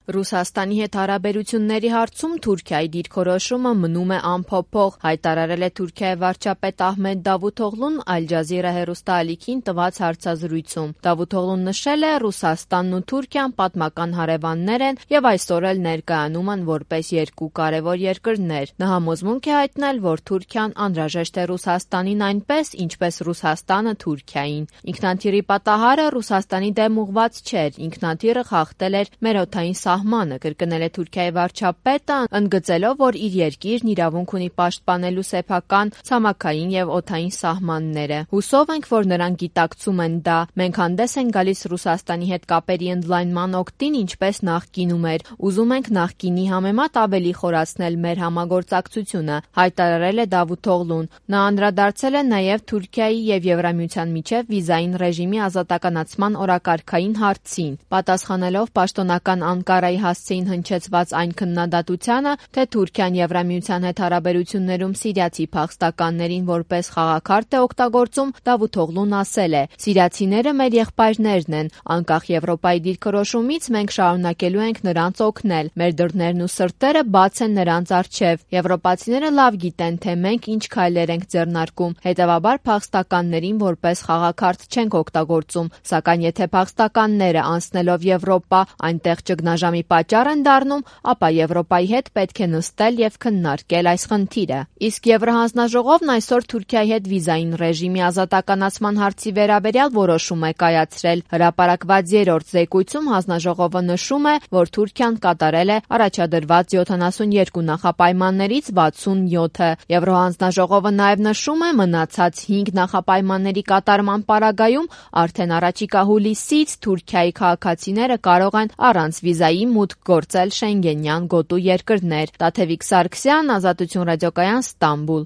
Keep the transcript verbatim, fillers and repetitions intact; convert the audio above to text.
Ռուսաստանի հետ հարաբերությունների հարցում Թուրքիայի դիրքորոշումը մնում է անփոփոխ, հայտարարել է Թուրքիայի վարչապետ Ահմեդ Դավութօղլուն Ալ Ջազիրա հեռուստաալիքին տված հարցազրույցում։ Դավութօղլուն նշել է՝ Ռուսաստանն ու Թուրքիան պատմական հարևաններ են եւ այսօր էլ ներկայանում են որպես երկու կարևոր երկրներ։ Նա համոզմունք է հայտնել, որ Թուրքիան անհրաժեշտ է Ռուսաստանին այնպես, ինչպես Ռուսաստանը Թուրքիային։ Ինքնաթիռի պատահարը Ռուսաստանի դեմ ուղղված չէր, ինքնաթիռը խախտել էր մեր օդային սահմանը, կրկնել է Թուրքիայի վարչապետը, ընդգծելով, որ իր երկիրն իրավունք ունի պաշտպանելու սեփական, ցամաքային եւ օդային սահմանները։ Հուսով ենք, որ նրանք գիտակցում են դա։ Մենք հանդես ենք գալիս Ռուսաստանի հետ կապերի ընդլայնման օգտին, ինչպես նախկինում էր։ Ուզում ենք նախկինի համեմատ ավելի խորացնել մեր համագործակցությունը, հայտարարել է Դավութօղլուն։ Նա անդրադարձել է նաեւ Թուրքիայի եւ Եվրամիության միջև վիզային ռեժիմի ազատականացման օրակարգային հարցին, պատասխանելով պաշտոնական Անկարայի հասցեին հնչեցված այն քննադատությանը, թե Թուրքիան Եվրամիության հետ հարաբերություններում սիրիացի փախստականներին որպես խաղաքարտ է օգտագործում, Դավութօղլուն ասել է. «Սիրիացիները մեր եղբայրներն են, անկախ Եվրոպայի դիրքորոշումից մենք շարունակելու ենք նրանց օգնել, մեր դռներն ու սրտերը բաց են նրանց առջև։ Եվրոպացիները լավ գիտեն, թե մենք ինչ քայլեր ենք ձեռնարկում, հետևաբար փախստականներին որպես խաղաքարտ չենք օգտագործում, սակայն եթե փախստականները անցնելով Եվրոպա այնտեղ ճգնաժամի պատճառ են դառնում, ապա Եվրոպայի հետ պետք է նստել եւ քննարկել այս խնդիրը»։ Իսկ Եվրահանձնաժողովն այսօր Թուրքիայի հետ վիզային ռեժիմի ազատականացման հարցի վերաբերյալ որոշում է կայացրել։ Հրապարակված երրորդ զեկույցում հանձնաժողովը նշում է, որ Թուրքիան կատարել է առաջադրված յոթանասունյոթ նախապայմաններից վաթսունյոթը։ Եվրոհանձնաժողովը նաեւ նշում է մնացած հինգ նախապայմանների կատարման պարագայում արդեն առաջիկա հուլիսից Թուրքիայի քաղաքացիները կարող են առանց վիզայի մուտք գործել Շենգենյան գոտու երկրներ։ Տաթևիկ Սարգսյան, Ազատություն ռադիոկայան, Ստամբուլ։